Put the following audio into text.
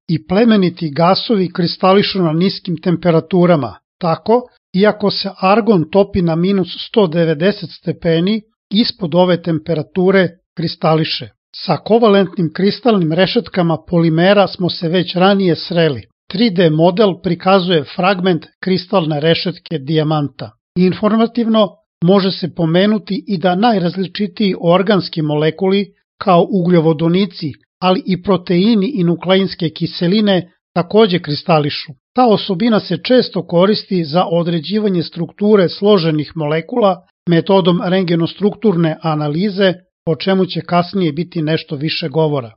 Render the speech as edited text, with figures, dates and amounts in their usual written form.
i plemeniti gasovi kristališu na niskim temperaturama. Tako, iako se argon topi na minus 190 stepeni, ispod ove temperature kristališe. Sa kovalentnim kristalnim rešetkama polimera smo se već ranije sreli. 3D model prikazuje fragment kristalne rešetke dijamanta. Informativno može se pomenuti i da najrazličitiji organski molekuli, kao ugljovodonici, ali i proteini i nukleinske kiseline takođe kristališu. Ta osobina se često koristi za određivanje strukture složenih molekula metodom rengenostrukturne analize, o čemu će kasnije biti nešto više govora.